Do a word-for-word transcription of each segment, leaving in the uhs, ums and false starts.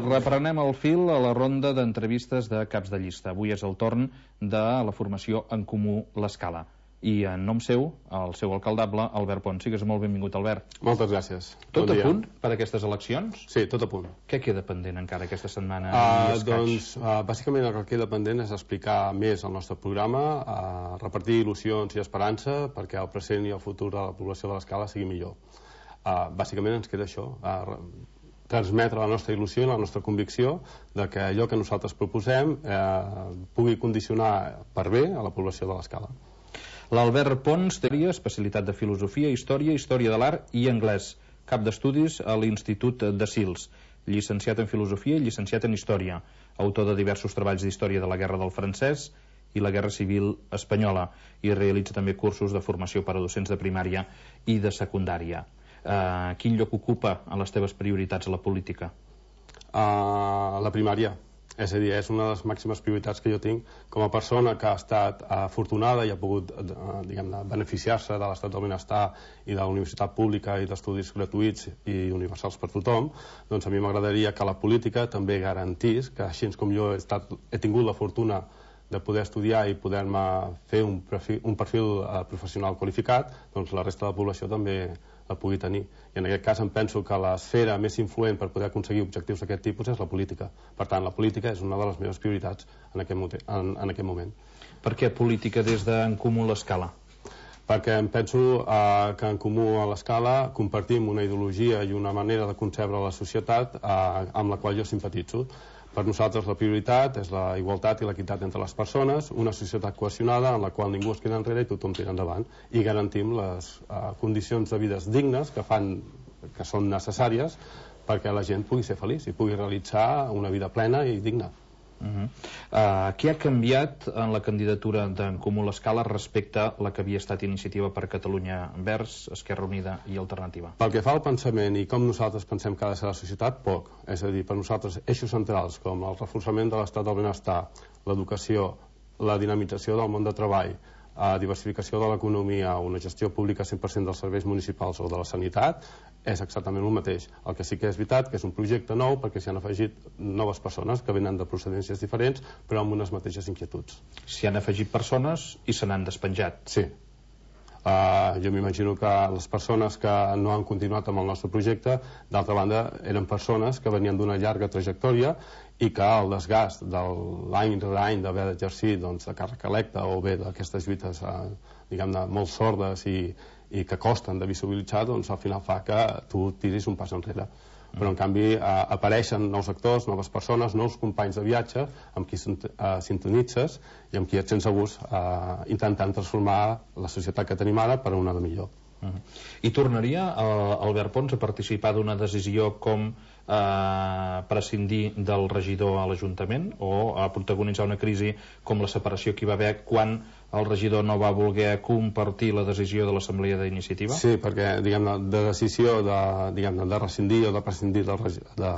Reprenem el fil a la ronda d'entrevistes de caps de llista. Avui és el torn de la formació En Comú l'Escala. I en nom seu, el seu alcaldable, Albert Pons. Sigues molt benvingut, Albert. Moltes gràcies. Tot a punt per aquestes eleccions? Sí, tot a punt. Què queda pendent encara aquesta setmana? Uh, doncs, uh, bàsicament el que queda pendent és explicar més el nostre programa, uh, repartir il·lusions i esperança perquè el present i el futur de la població de l'Escala sigui millor. Uh, bàsicament ens queda això, uh, transmetre la nostra il·lusió i la nostra convicció de que allò que nosaltres proposem eh, pugui condicionar per bé a la població de l'Escala. L'Albert Pons té especialitat de Filosofia, Història, Història de l'Art i Anglès, cap d'estudis a l'Institut de Sils, llicenciat en Filosofia i llicenciat en Història, autor de diversos treballs d'història de la Guerra del Francès i la Guerra Civil Espanyola, i realitza també cursos de formació per a docents de primària i de secundària. Uh, quin lloc ocupa a les teves prioritats a la política? Uh, la primària. És a dir, és una de les màximes prioritats que jo tinc com a persona que ha estat afortunada i ha pogut uh, diguem-ne, beneficiar-se de l'estat del benestar i de la universitat pública i d'estudis gratuïts i universals per tothom. Doncs a mi m'agradaria que la política també garantís que, així com jo he, estat, he tingut la fortuna de poder estudiar i poder-me fer un perfil, un perfil uh, professional qualificat, doncs la resta de la població també la pugui tenir. I en aquest cas em penso que l'esfera més influent per poder aconseguir objectius d'aquest tipus és la política. Per tant, la política és una de les meves prioritats en aquest, en, en aquest moment. Per què política des d'En Comú l'Escala? Perquè em penso eh, que En Comú a l'Escala compartim una ideologia i una manera de concebre la societat eh, amb la qual jo simpatitzo. Per nosaltres la prioritat és la igualtat i l'equitat entre les persones, una societat cohesionada en la qual ningú es queda enrere i tothom tira endavant, i garantim les uh, condicions de vides dignes que fan, que són necessàries perquè la gent pugui ser feliç i pugui realitzar una vida plena i digna. Uh-huh. uh, què ha canviat en la candidatura d'En Comú l'Escala respecte a la que havia estat Iniciativa per Catalunya Verds, Esquerra Unida i Alternativa? Pel que fa al pensament i com nosaltres pensem que ha de ser la societat, poc. És a dir, per nosaltres eixos centrals com el reforçament de l'estat del benestar, l'educació, la dinamització del món de treball, a diversificació de l'economia, una gestió pública cent per cent dels serveis municipals o de la sanitat, és exactament el mateix. El que sí que és veritat que és un projecte nou perquè s'hi han afegit noves persones que venen de procedències diferents però amb unes mateixes inquietuds. S'hi han afegit persones i se n'han despenjat. Sí. Uh, jo m'imagino que les persones que no han continuat amb el nostre projecte, d'altra banda, eren persones que venien d'una llarga trajectòria i que el desgast de l'any rere any d'haver d'exercir doncs, de càrrec electe o bé d'aquestes lluites eh, diguem-ne molt sordes i, i que costen de visibilitzar, doncs al final fa que tu tiris un pas enrere. Però en canvi eh, apareixen nous actors, noves persones, nous companys de viatge amb qui eh, sintonitzes i amb qui et sents a gust eh, intentant transformar la societat que tenim ara per a una de millor. Uh -huh. I tornaria eh, Albert Pons a participar d'una decisió com eh, prescindir del regidor a l'Ajuntament o a protagonitzar una crisi com la separació que hi va haver quan el regidor no va voler compartir la decisió de l'Assemblea d'Iniciativa? Sí, perquè diguem-ne, de decisió de, diguem-ne, de rescindir o de prescindir del, de,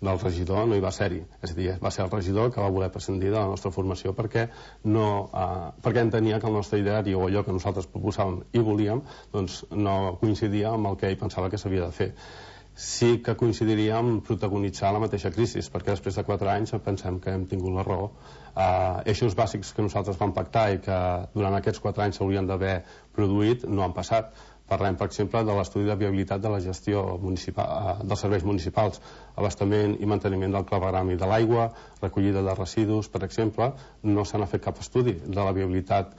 del regidor no hi va ser-hi. És a dir, va ser el regidor que va voler prescindir de la nostra formació perquè, no, eh, perquè entenia que el nostre ideari o allò que nosaltres proposàvem i volíem doncs no coincidia amb el que ell pensava que s'havia de fer. Sí que coincidiria en protagonitzar la mateixa crisi, perquè després de quatre anys pensem que hem tingut la raó. Uh, eixos bàsics que nosaltres vam pactar i que durant aquests quatre anys s'haurien d'haver produït no han passat. Parlem, per exemple, de l'estudi de viabilitat de la gestió municipal, uh, dels serveis municipals, abastament i manteniment del clavegram i de l'aigua, recollida de residus, per exemple. No se n'ha fet cap estudi de la viabilitat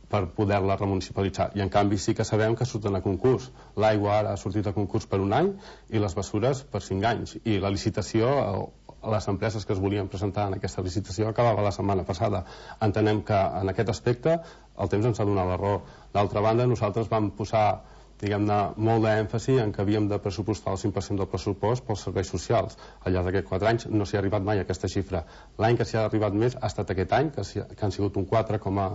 per poder-la remunicipalitzar, i en canvi sí que sabem que surten a concurs. L'aigua ara ha sortit a concurs per un any i les bessures per cinc anys, i la licitació, les empreses que es volien presentar en aquesta licitació acabava la setmana passada. Entenem que en aquest aspecte el temps ens ha donat la raó. D'altra banda, nosaltres vam posar diguem-ne, molt d'èmfasi en que havíem de pressupostar el cinc per cent del pressupost pels serveis socials. Al llarg d'aquests quatre anys no s'hi ha arribat mai a aquesta xifra. L'any que s'hi ha arribat més ha estat aquest any, que, que han sigut un quatre coma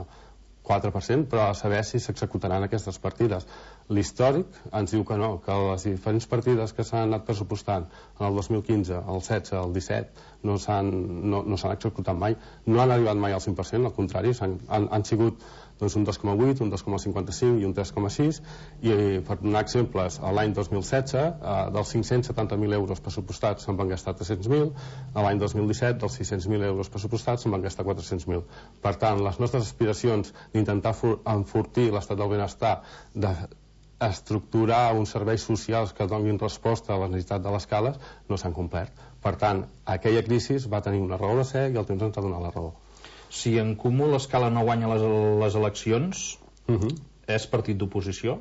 quatre per cent, però a saber si s'executaran aquestes partides. L'històric ens diu que no, que les diferents partides que s'han anat pressupostant en el dos mil quinze, el setze, el disset, no s'han no, no executat mai, no han arribat mai al cinc per cent, al contrari, han, han, han sigut doncs un dos coma vuit, un dos coma cinquanta-cinc i un tres coma sis, i per donar exemples, l'any dos mil setze eh, dels cinc-cents setanta mil euros pressupostats se'n van gastar tres-cents mil, l'any dos mil disset dels sis-cents mil euros pressupostats se'n van gastar quatre-cents mil. Per tant, les nostres aspiracions d'intentar enfortir l'estat del benestar, d'estructurar uns serveis socials que donin resposta a la necessitat de les cales, no s'han complert. Per tant, aquella crisi va tenir una raó de ser i el temps ens ha donat la raó. Si en Comú l'Escala no guanya les, les eleccions, uh -huh. és partit d'oposició?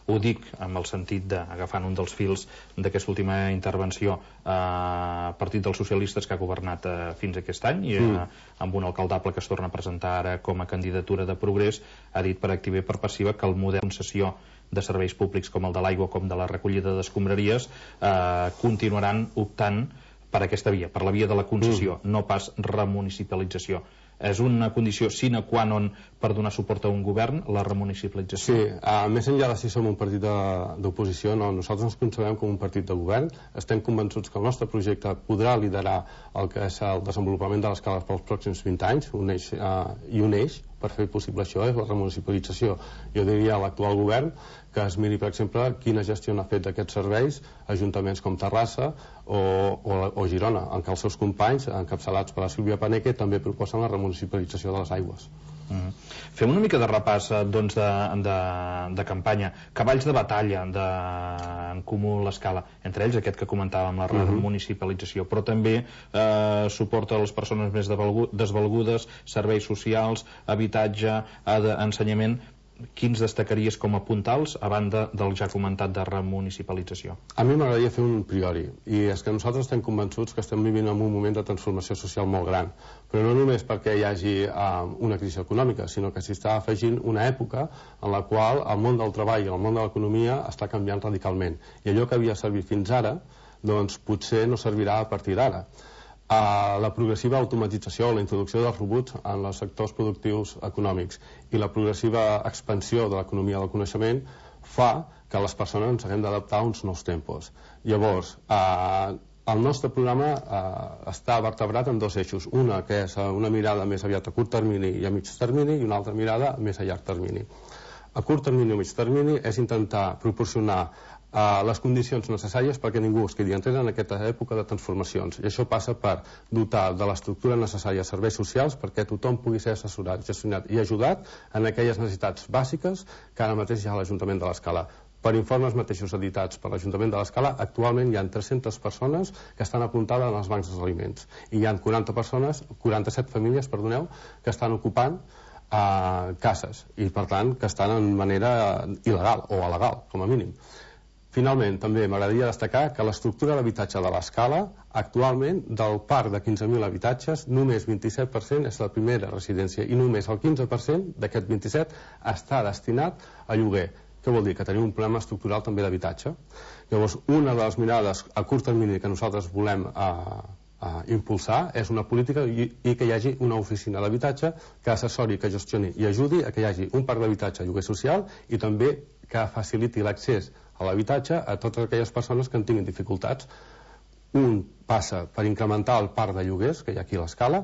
Ho dic amb el sentit d'agafant un dels fils d'aquesta última intervenció, eh, Partit dels Socialistes, que ha governat eh, fins aquest any, i eh, mm. amb un alcaldable que es torna a presentar ara com a candidatura de Progrés, ha dit per activa i per passiva que el model de concessió de serveis públics com el de l'aigua, com de la recollida d'escombraries, eh, continuaran optant per aquesta via, per la via de la concessió, mm. no pas remunicipalització. És una condició sine qua non per donar suport a un govern, la remunicipalització? Sí, uh, més enllà de si som un partit d'oposició, no, nosaltres ens concebem com un partit de govern. Estem convençuts que el nostre projecte podrà liderar el que és el desenvolupament de l'escala pels pròxims vint anys, un eix, uh, i un eix per fer possible això és la remunicipalització. Jo diria a l'actual govern que es miri, per exemple, quina gestió n'ha fet d'aquests serveis ajuntaments com Terrassa o, o, o Girona, en què els seus companys, encapçalats per la Sílvia Paneque, també proposen la remunicipalització de les aigües. Mm. Fem una mica de repàs doncs, de, de, de campanya, cavalls de batalla de, en Comú l'Escala, entre ells aquest que comentàvem, la mm-hmm. municipalització, però també eh, suport a les persones més desvalgudes, serveis socials, habitatge, ensenyament. Quins destacaries com a puntals a banda del ja comentat de remunicipalització? A mi m'agradaria fer un priori, i és que nosaltres estem convençuts que estem vivint en un moment de transformació social molt gran, però no només perquè hi hagi uh, una crisi econòmica, sinó que s'hi està afegint una època en la qual el món del treball i el món de l'economia està canviant radicalment, i allò que havia servit fins ara doncs potser no servirà a partir d'ara. Uh, la progressiva automatització, la introducció dels robots en els sectors productius econòmics i la progressiva expansió de l'economia del coneixement fa que les persones ens haguem d'adaptar a uns nous tempos. Llavors, uh, el nostre programa uh, està vertebrat en dos eixos, una que és una mirada més aviat a curt termini i a mig termini i una altra mirada més a llarg termini. A curt termini i a mig termini és intentar proporcionar Uh, les condicions necessàries perquè ningú es quedi enrere en aquesta època de transformacions, i això passa per dotar de l'estructura necessària serveis socials perquè tothom pugui ser assessorat, gestionat i ajudat en aquelles necessitats bàsiques que ara mateix hi ha a l'Ajuntament de l'Escala. Per informes mateixos editats per l'Ajuntament de l'Escala, actualment hi ha tres-centes persones que estan apuntades en els bancs dels aliments i hi ha quaranta persones, quaranta-set famílies, perdoneu, que estan ocupant uh, cases i per tant que estan en manera il·legal o alegal, com a mínim. Finalment, també m'agradaria destacar que l'estructura d'habitatge de l'Escala, actualment, del parc de quinze mil habitatges, només vint-i-set per cent és la primera residència i només el quinze per cent d'aquest vint-i-set està destinat a lloguer. Què vol dir? Que tenim un problema estructural també d'habitatge. Llavors, una de les mirades a curt termini que nosaltres volem a, a impulsar és una política i, i que hi hagi una oficina d'habitatge que assessori, que gestioni i ajudi a que hi hagi un parc d'habitatge a lloguer social i també que faciliti l'accés a l'habitatge a totes aquelles persones que en tinguin dificultats. Un passa per incrementar el parc de lloguers que hi ha aquí a l'Escala,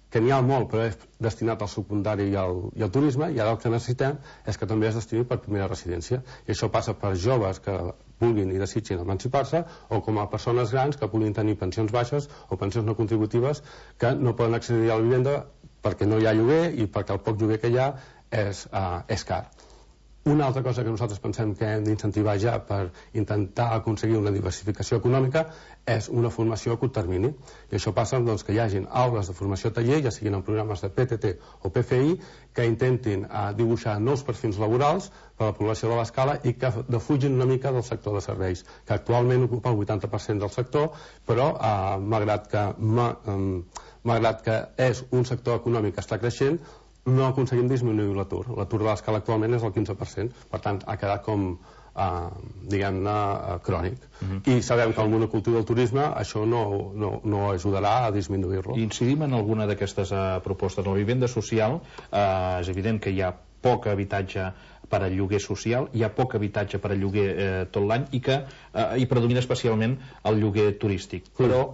que n'hi ha molt però és destinat al secundari i al, i al turisme, i ara el que necessitem és que també es destini per primera residència, i això passa per joves que vulguin i desitgin emancipar-se o com a persones grans que puguin tenir pensions baixes o pensions no contributives que no poden accedir a la vivenda perquè no hi ha lloguer i perquè el poc lloguer que hi ha és, uh, és car. Una altra cosa que nosaltres pensem que hem d'incentivar ja per intentar aconseguir una diversificació econòmica és una formació a curt termini. I això passa doncs, que hi hagin aules de formació taller, ja siguin en programes de P T T o P F I, que intentin eh, dibuixar nous perfils laborals per a la població de l'Escala i que defugin una mica del sector de serveis, que actualment ocupa el vuitanta per cent del sector, però eh, malgrat que, ma, eh, malgrat que és un sector econòmic que està creixent, no aconseguim disminuir l'atur. L'atur de l'Escala actualment és el quinze per cent, per tant ha quedat com eh, diguem-ne uh, crònic. Uh-huh. I sabem que el monocultiu del turisme això no, no, no ajudarà a disminuir-lo. Incidim en alguna d'aquestes uh, propostes. La vivenda social, uh, és evident que hi ha poc habitatge per a lloguer social, hi ha poc habitatge per a lloguer eh, tot l'any i que eh, hi predomina especialment el lloguer turístic. Però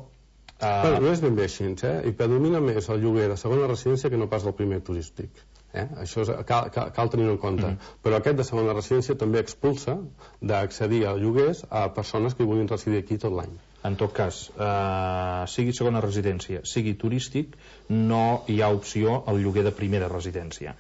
Uh... Però no és ben bé així, eh? I predomina més el lloguer de segona residència que no pas el primer turístic. Eh? Això és, cal, cal, cal tenir-ho en compte. Mm. Però aquest de segona residència també expulsa d'accedir a lloguers a persones que vulguin residir aquí tot l'any. En tot cas, eh, sigui segona residència, sigui turístic, no hi ha opció al lloguer de primera residència.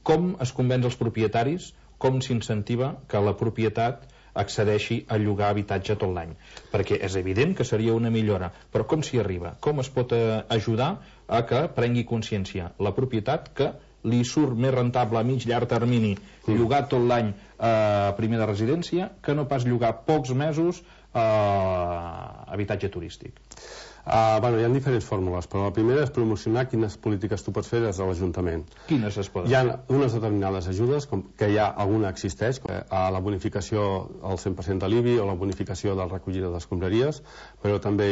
Com es convenç els propietaris, com s'incentiva que la propietat accedeixi a llogar habitatge tot l'any? Perquè és evident que seria una millora, però com s'hi arriba? Com es pot ajudar a que prengui consciència la propietat que li surt més rentable a mig llarg termini llogar tot l'any a primera residència que no pas llogar pocs mesos a habitatge turístic? Uh, bueno, hi ha diferents fórmules, però la primera és promocionar quines polítiques tu pots fer des de l'Ajuntament. Quines es poden? Hi ha unes determinades ajudes, com que ja alguna existeix, a la bonificació al cent per cent de l'I B I o la bonificació de la recollida d'escombraries, però també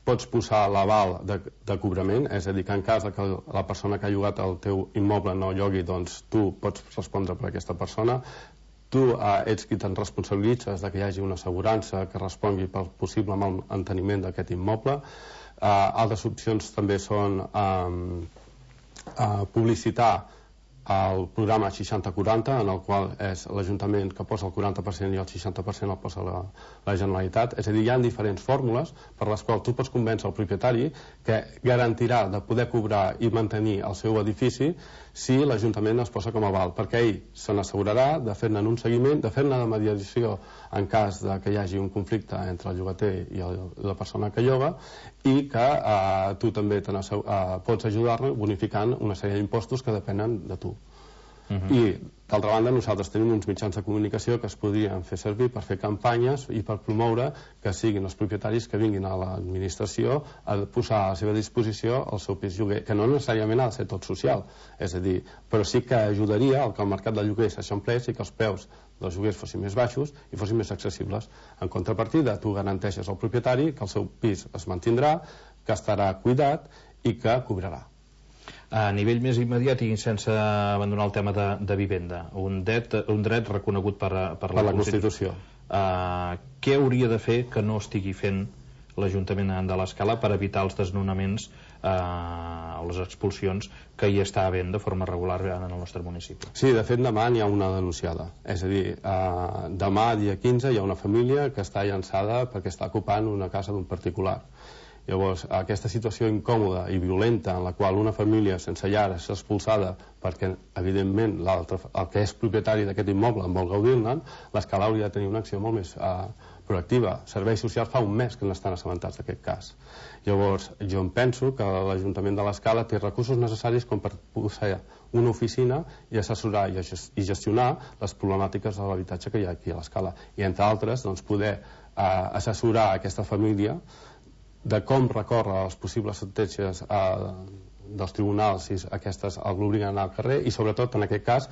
pots posar l'aval de, de cobrament, és a dir, que en cas que la persona que ha llogat el teu immoble no llogui, doncs tu pots respondre per aquesta persona. Tu eh, ets qui te'n responsabilitzes de que hi hagi una assegurança que respongui pel possible manteniment d'aquest immoble. Eh, altres opcions també són eh, eh, publicitar el programa seixanta quaranta, en el qual és l'Ajuntament que posa el quaranta per cent i el seixanta per cent el posa la, la Generalitat. És a dir, hi ha diferents fórmules per les quals tu pots convèncer el propietari que garantirà de poder cobrar i mantenir el seu edifici si l'Ajuntament es posa com a aval, perquè ell se n'assegurarà de fer-ne un seguiment, de fer-ne de mediació en cas de que hi hagi un conflicte entre el llogater i el, la persona que lloga, i que eh, tu també eh, pots ajudar-lo bonificant una sèrie d'impostos que depenen de tu. Uh-huh. I, d'altra banda, nosaltres tenim uns mitjans de comunicació que es podrien fer servir per fer campanyes i per promoure que siguin els propietaris que vinguin a l'administració a posar a la seva disposició el seu pis lloguer, que no necessàriament ha de ser tot social, és a dir, però sí que ajudaria al que el mercat de lloguer s'eixamplés i que els preus dels lloguers fossin més baixos i fossin més accessibles. En contrapartida, tu garanteixes al propietari que el seu pis es mantindrà, que estarà cuidat i que cobrarà. A nivell més immediat i sense abandonar el tema de, de vivenda, un dret, un dret reconegut per, per, per la Constitució. Uh, què hauria de fer que no estigui fent l'Ajuntament de l'Escala per evitar els desnonaments uh, o les expulsions que hi està havent de forma regular en el nostre municipi? Sí, de fet demà n'hi ha una denunciada. És a dir, uh, demà, dia quinze, hi ha una família que està llançada perquè està ocupant una casa d'un particular. Llavors, aquesta situació incòmoda i violenta en la qual una família sense llar és expulsada perquè, evidentment, el que és propietari d'aquest immoble en vol gaudir-ne, l'Escala hauria de tenir una acció molt més eh, proactiva. Serveis socials fa un mes que n'estan assabentats d'aquest cas. Llavors, jo em penso que l'Ajuntament de l'Escala té recursos necessaris com per posar una oficina i assessorar i gestionar les problemàtiques de l'habitatge que hi ha aquí a l'Escala. I, entre altres, doncs, poder eh, assessorar aquesta família de com recórrer a les possibles sentències eh, dels tribunals si aquestes l'obliguen a anar al carrer, i sobretot en aquest cas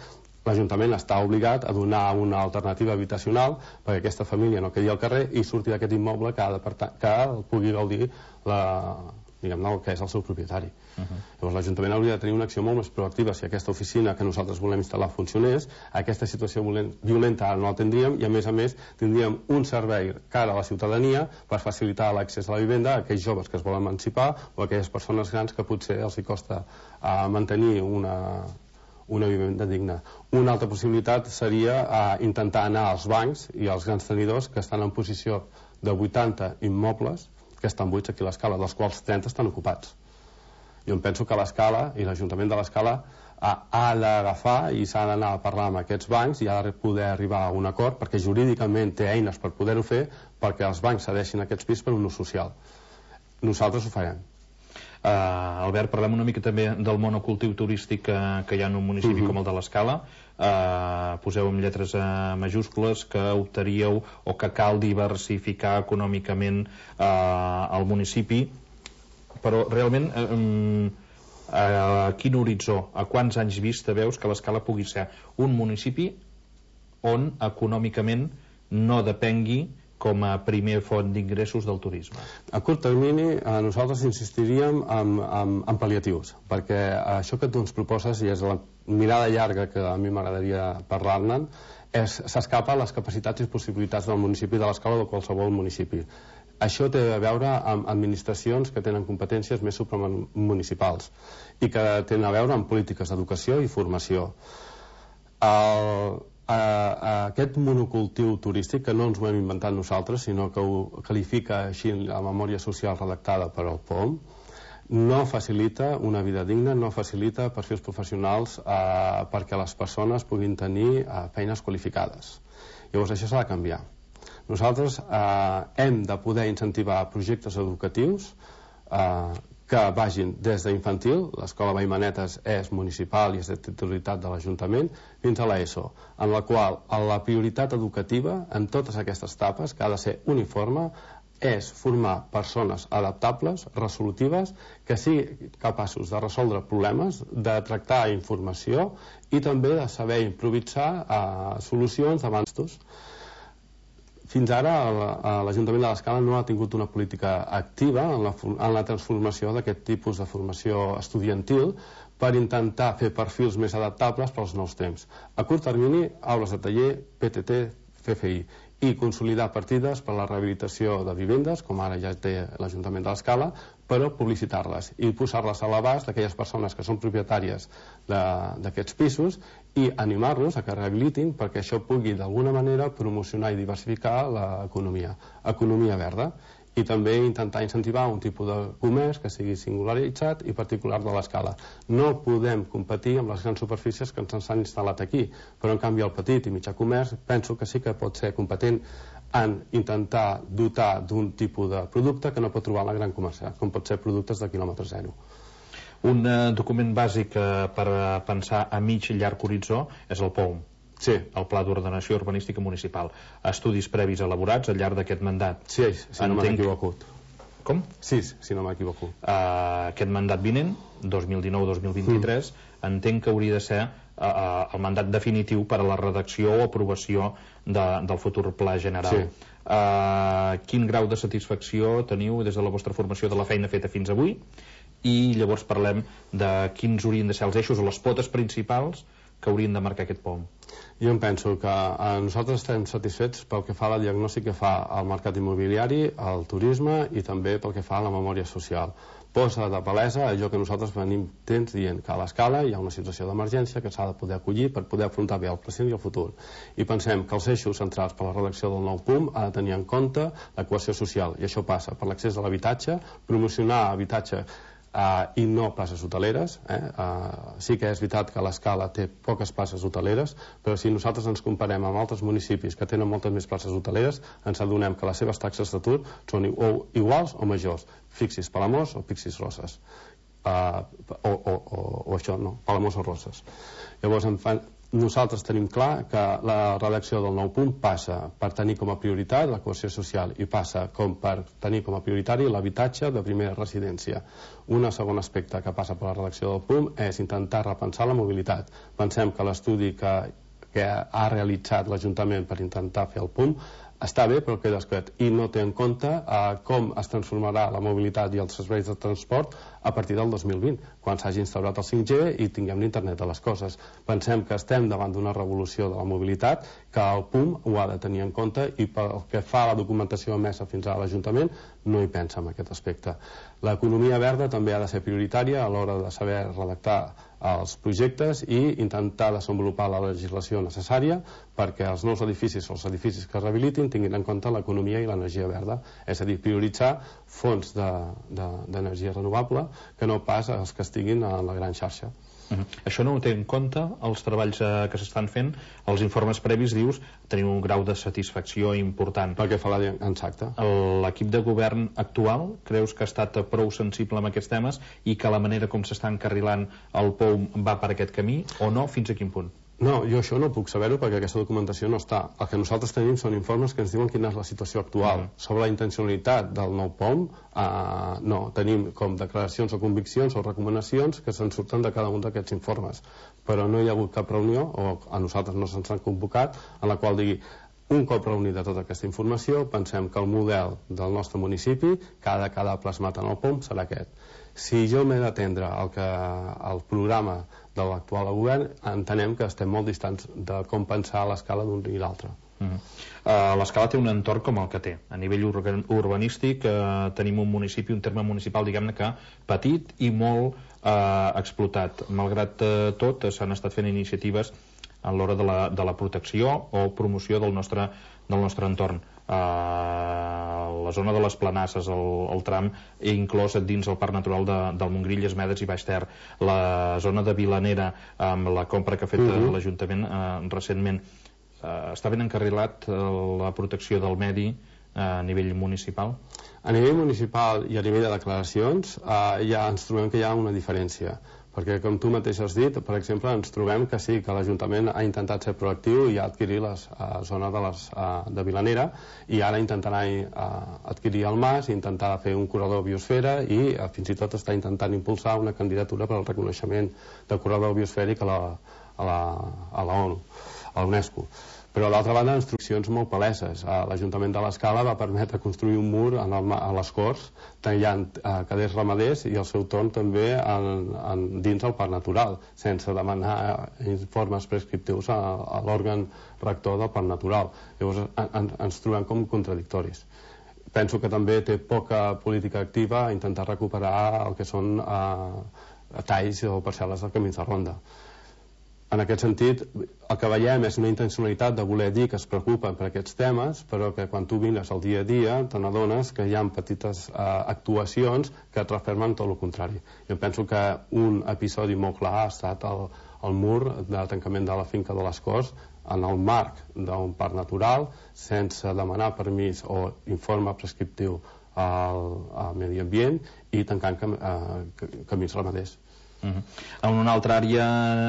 l'Ajuntament està obligat a donar una alternativa habitacional perquè aquesta família no quedi al carrer i surti d'aquest immoble que, ha de, que pugui gaudir la, diguem-ne, el que és el seu propietari. Uh-huh. Llavors l'Ajuntament hauria de tenir una acció molt més proactiva si aquesta oficina que nosaltres volem instal·lar funcionés. Aquesta situació violenta ara no la tindríem, i a més a més tindríem un servei cara a la ciutadania per facilitar l'accés a la vivenda a aquells joves que es volen emancipar o a aquelles persones grans que potser els hi costa uh, mantenir una, una vivenda digna. Una altra possibilitat seria uh, intentar anar als bancs i als grans tenidors que estan en posició de vuitanta immobles que estan buits aquí a l'Escala, dels quals trenta estan ocupats. Jo em penso que l'Escala i l'Ajuntament de l'Escala ha, ha d'agafar i s'ha d'anar a parlar amb aquests bancs i ha de poder arribar a un acord, perquè jurídicament té eines per poder-ho fer, perquè els bancs cedeixin aquests pisos per un ús social. Nosaltres ho farem. Uh, Albert, parlem una mica també del monocultiu turístic que, que hi ha en un municipi uh-huh. com el de l'Escala. Uh, poseu amb lletres uh, majúscules que optaríeu o que cal diversificar econòmicament uh, el municipi, però realment uh, a quin horitzó, a quants anys vista veus que l'Escala pugui ser un municipi on econòmicament no depengui com a primer font d'ingressos del turisme? A curt termini eh, nosaltres insistiríem en, en, en pal·liatius, perquè això que tu ens proposes, i és la mirada llarga que a mi m'agradaria parlar-ne, s'escapa a les capacitats i possibilitats del municipi de l'Escala o de qualsevol municipi. Això té a veure amb administracions que tenen competències més supramunicipals i que tenen a veure amb polítiques d'educació i formació. El, a, a aquest monocultiu turístic, que no ens ho hem inventat nosaltres, sinó que ho qualifica així la memòria social redactada per al P O M, no facilita una vida digna, no facilita perfils professionals eh, perquè les persones puguin tenir eh, feines qualificades. Llavors això s'ha de canviar. Nosaltres eh, hem de poder incentivar projectes educatius eh, que vagin des d'infantil, l'escola Vallmanetes és municipal i és de titularitat de l'Ajuntament, fins a l'ESO, en la qual la prioritat educativa en totes aquestes etapes, que ha de ser uniforme, és formar persones adaptables, resolutives, que siguin capaços de resoldre problemes, de tractar informació i també de saber improvisar eh, solucions davant d'estos. Fins ara l'Ajuntament de l'Escala no ha tingut una política activa en la, en la transformació d'aquest tipus de formació estudiantil per intentar fer perfils més adaptables pels nous temps. A curt termini, aules de taller, P T T, C F I, i consolidar partides per a la rehabilitació de vivendes, com ara ja té l'Ajuntament de l'Escala, però publicitar-les i posar-les a l'abast d'aquelles persones que són propietàries d'aquests pisos i animar-los a que rehabilitin perquè això pugui d'alguna manera promocionar i diversificar l'economia, economia verda, i també intentar incentivar un tipus de comerç que sigui singularitzat i particular de l'Escala. No podem competir amb les grans superfícies que ens han instal·lat aquí, però en canvi el petit i mitjà comerç penso que sí que pot ser competent en intentar dotar d'un tipus de producte que no pot trobar la gran comercial, com pot ser productes de quilòmetre zero. Un eh, document bàsic eh, per pensar a mig i llarg horitzó és el P O M. Sí. El Pla d'Ordenació Urbanística Municipal. Estudis previs elaborats al llarg d'aquest mandat. Sí, si no m'he equivocat. Com? Sí, si no m'he equivocat. Uh, aquest mandat vinent, dos mil dinou dos mil vint-i-tres, mm. entenc que hauria de ser uh, el mandat definitiu per a la redacció o aprovació de, del futur pla general. Sí. Uh, quin grau de satisfacció teniu des de la vostra formació de la feina feta fins avui? I llavors parlem de quins haurien de ser els eixos o les potes principals que haurien de marcar aquest P O M. Jo em penso que eh, nosaltres estem satisfets pel que fa a la diagnòstica que fa al mercat immobiliari, al turisme i també pel que fa a la memòria social. Posa de palesa allò que nosaltres venim temps dient, que a l'Escala hi ha una situació d'emergència que s'ha de poder acollir per poder afrontar bé el present i el futur. I pensem que els eixos centrals per a la redacció del nou P U M ha de tenir en compte la cohesió social, i això passa per l'accés a l'habitatge, promocionar habitatge Uh, i no places hoteleres. Eh? Uh, sí que és veritat que l'Escala té poques places hoteleres, però si nosaltres ens comparem amb altres municipis que tenen moltes més places hoteleres, ens adonem que les seves taxes d'atur són o iguals o majors. Fixis Palamós o Fixis Roses. Uh, o, o, o, o això, no, Palamós o Roses. Llavors, en fa, nosaltres tenim clar que la redacció del nou punt passa per tenir com a prioritat la cohesió social i passa com per tenir com a prioritari l'habitatge de primera residència. Un segon aspecte que passa per la redacció del punt és intentar repensar la mobilitat. Pensem que l'estudi que, que ha realitzat l'Ajuntament per intentar fer el punt està bé però queda escret i no té en compte eh, com es transformarà la mobilitat i els serveis de transport a partir del dos mil vint, quan s'hagi instaurat el cinc G i tinguem l'internet de les coses. Pensem que estem davant d'una revolució de la mobilitat, que el P U M ho ha de tenir en compte i pel que fa a la documentació emesa fins a l'Ajuntament no hi pensa en aquest aspecte. L'economia verda també ha de ser prioritària a l'hora de saber redactar els projectes i intentar desenvolupar la legislació necessària perquè els nous edificis o els edificis que es rehabilitin tinguin en compte l'economia i l'energia verda, és a dir, prioritzar fonts d'energia de, de, renovable que no pas els que estiguin a la gran xarxa. Uh-huh. Això no ho té en compte els treballs eh, que s'estan fent, els informes previs dius tenir un grau de satisfacció important. Perquè fa la exacte. L'equip de govern actual creus que ha estat prou sensible amb aquests temes i que la manera com s'està encarrilant el P O M va per aquest camí o no? Fins a quin punt? No, jo això no puc saber-ho perquè aquesta documentació no està. El que nosaltres tenim són informes que ens diuen quina és la situació actual. Mm. Sobre la intencionalitat del nou P O M, eh, no, tenim com declaracions o conviccions o recomanacions que se'n surten de cada un d'aquests informes. Però no hi ha hagut cap reunió, o a nosaltres no se'ns han convocat, en la qual digui un cop reunida tota aquesta informació, pensem que el model del nostre municipi que ha de quedar plasmat en el P O M serà aquest. Si jo m'he d'atendre al que el programa de l'actual govern, entenem que estem molt distants de com pensar a l'escala d'un i l'altre. L'Escala té un entorn com el que té. A nivell urbanístic tenim un municipi, un terme municipal, diguem-ne que petit i molt explotat. Malgrat tot, s'han estat fent iniciatives a l'hora de la protecció o promoció del nostre entorn. La zona de les Planasses, el tram inclòs dins el Parc Natural del Montgrí, Llesmedes i Baix Ter, la zona de Vilanera, amb la compra que ha fet l'Ajuntament recentment. Està ben encarrilat la protecció del medi a nivell municipal? A nivell municipal i a nivell de declaracions ja ens trobem que hi ha una diferència, perquè com tu mateix has dit, per exemple, ens trobem que sí, que l'Ajuntament ha intentat ser proactiu i ha adquirit la zona de Vilanera i ara intentarà adquirir el Mas i intentar fer un corredor biosfera i fins i tot està intentant impulsar una candidatura per al reconeixement de corredor biosfèric a la ONU, a la UNESCO. Però, a l'altra banda, instruccions molt paleses. L'Ajuntament de l'Escala va permetre construir un mur a les Corts, tallant caders ramaders i al seu torn també dins el Parc Natural, sense demanar informes prescriptius a l'òrgan rector del Parc Natural. Llavors ens trobem com contradictoris. Penso que també té poca política activa a intentar recuperar el que són talls o parcel·les de camins de ronda. En aquest sentit, el que veiem és una intencionalitat de voler dir que es preocupen per aquests temes, però que quan tu mires el dia a dia te n'adones que hi ha petites actuacions que et refermen tot el contrari. Jo penso que un episodi molt clar ha estat el mur de tancament de la finca de les Corts en el marc d'un parc natural, sense demanar permís o informe prescriptiu al medi ambient i tancant camins ramaders. En una altra àrea,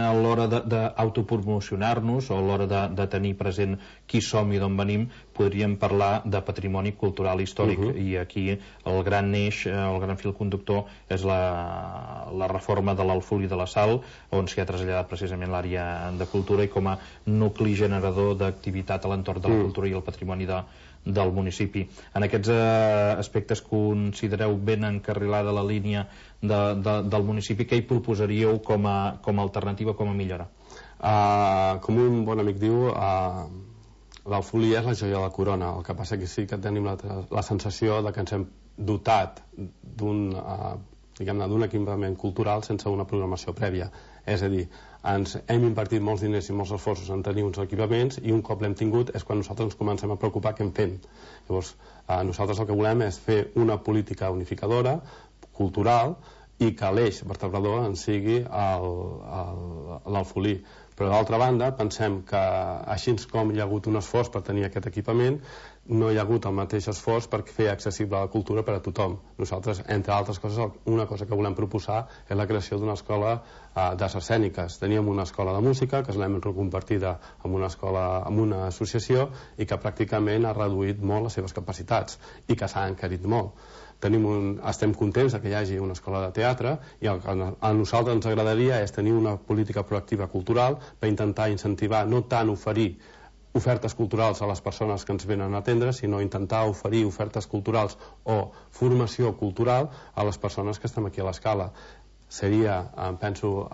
a l'hora d'autopromocionar-nos o a l'hora de tenir present qui som i d'on venim, podríem parlar de patrimoni cultural històric, i aquí el gran eix, el gran fil conductor és la reforma de l'Alfully de la Sal, on s'hi ha traslladat precisament l'àrea de cultura i com a nucli generador d'activitat a l'entorn de la cultura i el patrimoni del municipi. En aquests aspectes considereu ben encarrilada la línia del municipi? Què hi proposaríeu com a alternativa, com a millora? Com un bon amic diu, l'Alfully és la joia de la corona. El que passa que sí que tenim la sensació que ens hem dotat d'un equipament cultural sense una programació prèvia. És a dir, ens hem invertit molts diners i molts esforços en tenir uns equipaments i un cop l'hem tingut és quan nosaltres ens comencem a preocupar què en fem. Llavors, nosaltres el que volem és fer una política unificadora, cultural, i que l'eix vertebrador en sigui l'Alfully. Però d'altra banda pensem que així com hi ha hagut un esforç per tenir aquest equipament, no hi ha hagut el mateix esforç per fer accessible la cultura per a tothom. Nosaltres, entre altres coses, una cosa que volem proposar és la creació d'una escola d'arts escèniques. Teníem una escola de música que l'hem reconvertida en una escola, en una associació, i que pràcticament ha reduït molt les seves capacitats i que s'ha encarit molt. Estem contents que hi hagi una escola de teatre i el que a nosaltres ens agradaria és tenir una política proactiva cultural per intentar incentivar, no tant oferir ofertes culturals a les persones que ens venen a atendre, sinó intentar oferir ofertes culturals o formació cultural a les persones que estem aquí a l'Escala. Seria, penso,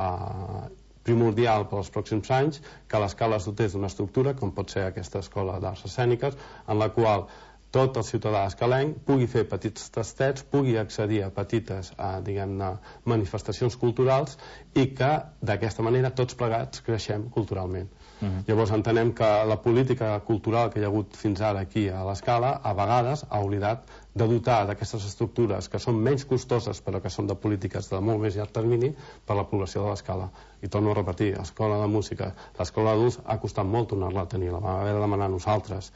primordial per als pròxims anys que l'Escala es dotés d'una estructura, com pot ser aquesta escola d'arts escèniques, en la qual tot el ciutadà escalenc pugui fer petits tastets, pugui accedir a petites manifestacions culturals i que d'aquesta manera tots plegats creixem culturalment. Llavors entenem que la política cultural que hi ha hagut fins ara aquí a l'Escala a vegades ha oblidat de dotar d'aquestes estructures que són menys costoses però que són de polítiques de molt més llarg termini per a la població de l'Escala. I torno a repetir, l'escola de música, l'escola d'adults ha costat molt tornar-la a tenir, la vam haver de demanar nosaltres.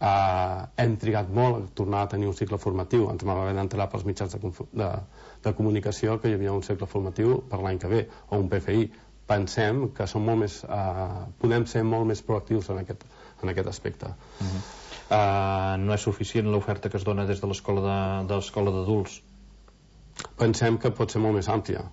Hem trigat molt a tornar a tenir un cicle formatiu, ens vam haver d'entrar pels mitjans de comunicació que hi havia un cicle formatiu per l'any que ve, o un P F I. Pensem que podem ser molt més proactius en aquest aspecte. No és suficient l'oferta que es dona des de l'escola d'adults? Pensem que pot ser molt més àmplia.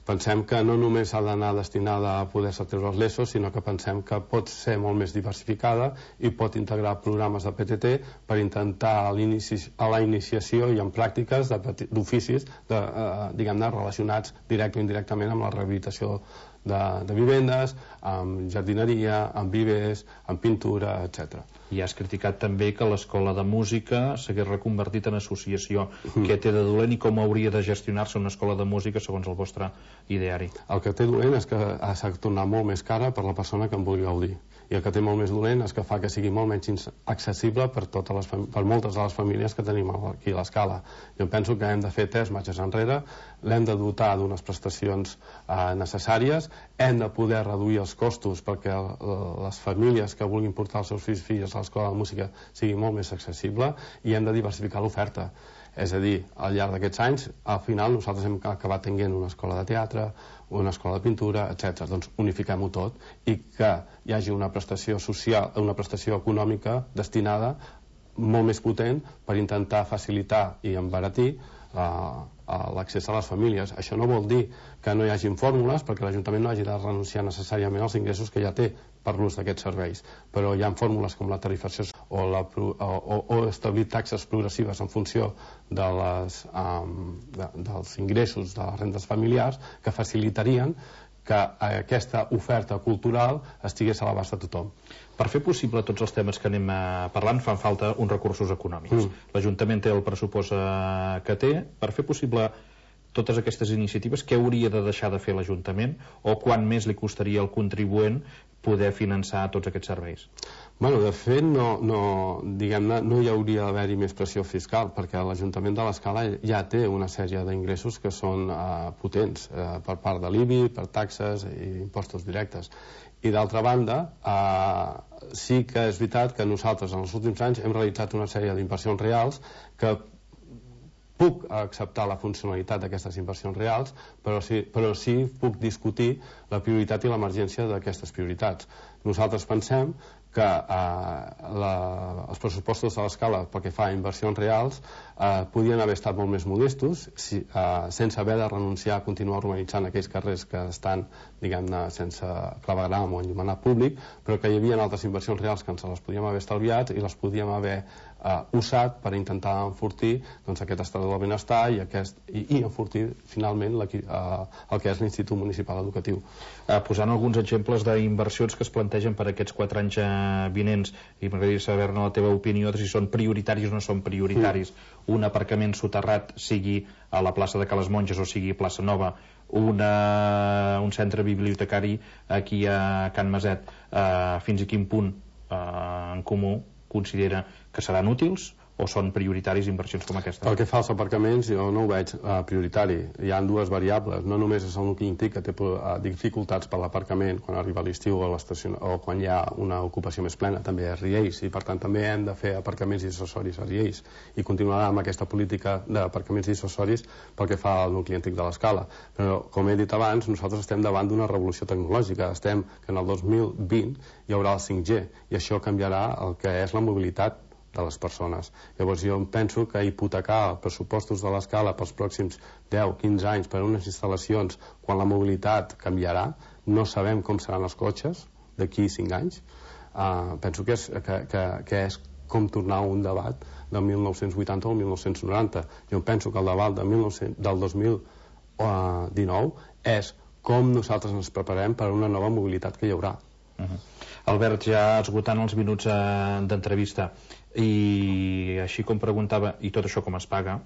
Pensem que no només ha d'anar destinada a poder-se treure els lesos, sinó que pensem que pot ser molt més diversificada i pot integrar programes de P T T per intentar a la iniciació i en pràctiques d'oficis relacionats directe o indirectament amb la rehabilitació de, de vivendes, amb jardineria, amb vivers, amb pintura, etcètera. I has criticat també que l'escola de música s'hagués reconvertit en associació. Mm. Què té de dolent i com hauria de gestionar-se una escola de música segons el vostre ideari? El que té dolent és que s'ha tornat molt més cara per la persona que en vulgui gaudir. I el que té molt més dolent és que fa que sigui molt menys accessible per, totes les per moltes de les famílies que tenim aquí a l'Escala. Jo penso que hem de fer tres marxes enrere, l'hem de dotar d'unes prestacions eh, necessàries, hem de poder reduir els costos perquè les famílies que vulguin portar els seus fills i filles a l'escola de música sigui molt més accessible, i hem de diversificar l'oferta. És a dir, al llarg d'aquests anys, al final nosaltres hem acabat tenint una escola de teatre, una escola de pintura, etcètera. Doncs unifiquem-ho tot i que hi hagi una prestació social, una prestació econòmica destinada molt més potent per intentar facilitar i embaratir uh, l'accés a les famílies. Això no vol dir que no hi hagin fórmules, perquè l'Ajuntament no hagi de renunciar necessàriament als ingressos que ja té per l'ús d'aquests serveis, però hi ha fórmules com la tarifació o, la, o, o establir taxes progressives en funció de les, um, de, dels ingressos de les rendes familiars que facilitarien que aquesta oferta cultural estigués a l'abast de tothom. Per fer possible tots els temes que anem parlant fan falta uns recursos econòmics. Mm. L'Ajuntament té el pressupost que té. Per fer possible totes aquestes iniciatives, què hauria de deixar de fer l'Ajuntament o quant més li costaria al contribuent poder finançar tots aquests serveis? Bueno, de fet, no, no, diguem-ne, no hi hauria d'haver-hi més pressió fiscal, perquè l'Ajuntament de l'Escala ja té una sèrie d'ingressos que són uh, potents, uh, per part de l'I B I, per taxes i impostos directes. I d'altra banda, uh, sí que és veritat que nosaltres en els últims anys hem realitzat una sèrie d'inversions reals que puc acceptar la funcionalitat d'aquestes inversions reals, però sí, però sí puc discutir la prioritat i l'emergència d'aquestes prioritats. Nosaltres pensem que eh, la, els pressupostos de l'Escala pel que fa a inversions reals eh, podien haver estat molt més modestos si, eh, sense haver de renunciar a continuar urbanitzant aquells carrers que estan, diguem-ne, sense clavegram o enllumenat públic, però que hi havia altres inversions reals que ens les podíem haver estalviat i les podíem haver Uh, usat per intentar enfortir doncs, aquest estat del benestar i, aquest, i, i enfortir finalment la, uh, el que és l'Institut Municipal Educatiu. Uh, posant alguns exemples d'inversions que es plantegen per aquests quatre anys uh, vinents, i m'agradaria saber-ne la teva opinió de si són prioritaris o no són prioritaris. Mm. Un aparcament soterrat sigui a la plaça de Cales Monges o sigui a Plaça Nova, una, un centre bibliotecari aquí a Can Maset, uh, fins a quin punt uh, en comú considera que seran útils o són prioritaris inversions com aquesta? Pel que fa als aparcaments, jo no ho veig uh, prioritari. Hi ha dues variables. No només és el nucli antic que té uh, dificultats per l'aparcament quan arriba l'estiu o, o quan hi ha una ocupació més plena, també és Riells, i per tant també hem de fer aparcaments dissuasoris a Riells i continuarà amb aquesta política d'aparcaments dissuasoris pel que fa al nucli antic de l'Escala. Però, com he dit abans, nosaltres estem davant d'una revolució tecnològica. Estem que en el dos mil vint hi haurà el cinc G i això canviarà el que és la mobilitat de les persones. Llavors jo penso que hipotecar els pressupostos de l'Escala pels pròxims deu a quinze anys per a unes instal·lacions quan la mobilitat canviarà, no sabem com seran els cotxes d'aquí cinc anys, uh, penso que és, que, que, que és com tornar a un debat del mil nou-cents vuitanta o el mil nou-cents noranta. Jo penso que el debat del, mil nou-cents, del dos mil dinou és com nosaltres ens preparem per a una nova mobilitat que hi haurà. Uh-huh. Albert, ja esgotant els minuts eh, d'entrevista, i així com preguntava, i tot això com es paga,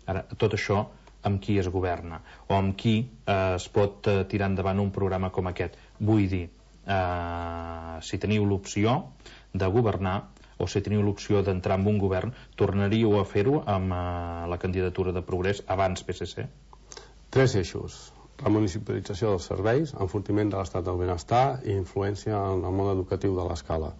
ara, tot això amb qui es governa o amb qui eh, es pot eh, tirar endavant un programa com aquest? Vull dir, eh, si teniu l'opció de governar o si teniu l'opció d'entrar en un govern, tornaríeu a fer-ho amb eh, la candidatura de Progrés abans P S C? Tres eixos: la municipalització dels serveis, enfortiment de l'estat del benestar i influència en el món educatiu de l'Escala.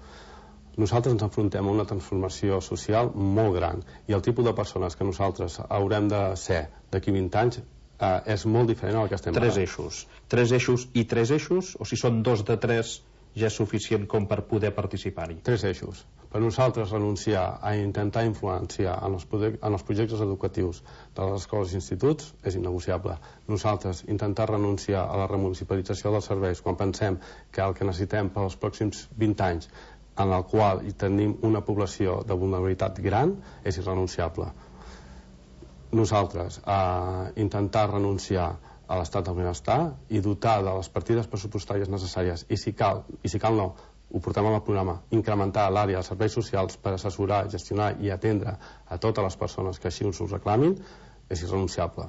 Nosaltres ens enfrontem a una transformació social molt gran i el tipus de persones que nosaltres haurem de ser d'aquí vint anys eh, és molt diferent al que estem tres ara. Eixos. Tres eixos i tres eixos? O si són dos de tres ja és suficient com per poder participar-hi? Tres eixos. Per nosaltres renunciar a intentar influenciar en els, en els projectes educatius de les escoles i instituts és innegociable. Nosaltres intentar renunciar a la remunicipalització dels serveis quan pensem que el que necessitem pels pròxims vint anys en el qual hi tenim una població de vulnerabilitat gran és irrenunciable. Nosaltres eh, intentar renunciar a l'estat del benestar i dotar de les partides pressupostàries necessàries, i si cal, i si cal no, ho portem al programa, incrementar l'àrea dels serveis socials per assessorar, gestionar i atendre a totes les persones que així us ho reclamin, és irrenunciable.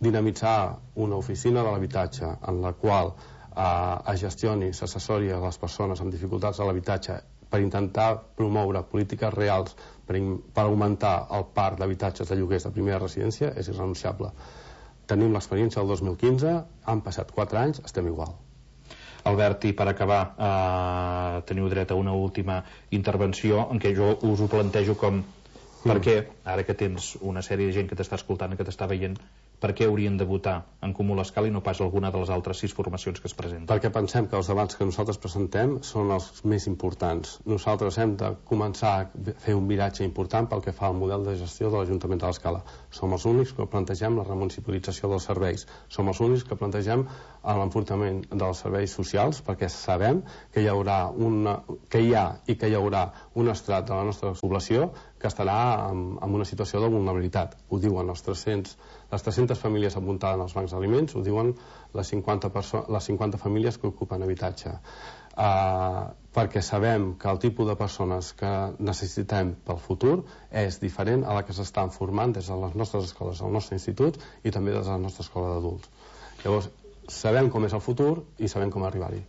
Dinamitzar una oficina de l'habitatge en la qual eh, es gestioni, s'assessori a les persones amb dificultats a l'habitatge per intentar promoure polítiques reals per, per augmentar el parc d'habitatges de lloguers de primera residència és irrenunciable. Tenim l'experiència del dos mil quinze, han passat quatre anys, estem igual. Albert, i per acabar, eh, teniu dret a una última intervenció en què jo us ho plantejo com per què, ara que tens una sèrie de gent que t'està escoltant, que t'està veient, per què haurien de votar en Comú l'Escala i no pas alguna de les altres sis formacions que es presenten? Perquè pensem que els debats que nosaltres presentem són els més importants. Nosaltres hem de començar a fer un viratge important pel que fa al model de gestió de l'Ajuntament de l'Escala. Som els únics que plantegem la remunicipalització dels serveis. Som els únics que plantegem l'enfortiment dels serveis socials, perquè sabem que hi haurà una, que hi ha i que hi haurà un estrat de la nostra població que estarà en, en una situació de vulnerabilitat. Ho diuen els tres-cents, les tres-centes famílies apuntades als bancs d'aliments, ho diuen les cinquanta, les cinquanta famílies que ocupen habitatge. Uh, perquè sabem que el tipus de persones que necessitem pel futur és diferent a la que s'estan formant des de les nostres escoles, del nostre institut i també des de la nostra escola d'adults. Llavors, sabem com és el futur i sabem com arribar-hi.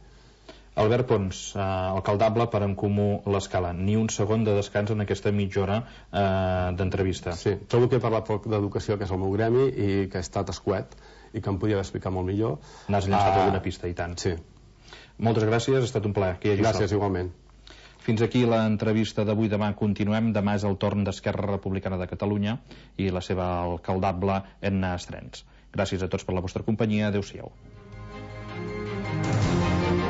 Albert Pons, eh, alcaldable per En Comú l'Escala. Ni un segon de descans en aquesta mitja hora eh, d'entrevista. Sí, trobo que he parlat poc d'educació, que és el meu gremi, i que he estat escuet i que em podia explicar molt millor. N'has llançat uh, alguna pista, i tant. Sí. Moltes gràcies, ha estat un plaer. Que hi hagi gràcies, sort. igualment. Fins aquí l'entrevista d'avui. Demà continuem. Demà és el torn d'Esquerra Republicana de Catalunya i la seva alcaldable Edna Estrens. Gràcies a tots per la vostra companyia. Adéu-siau.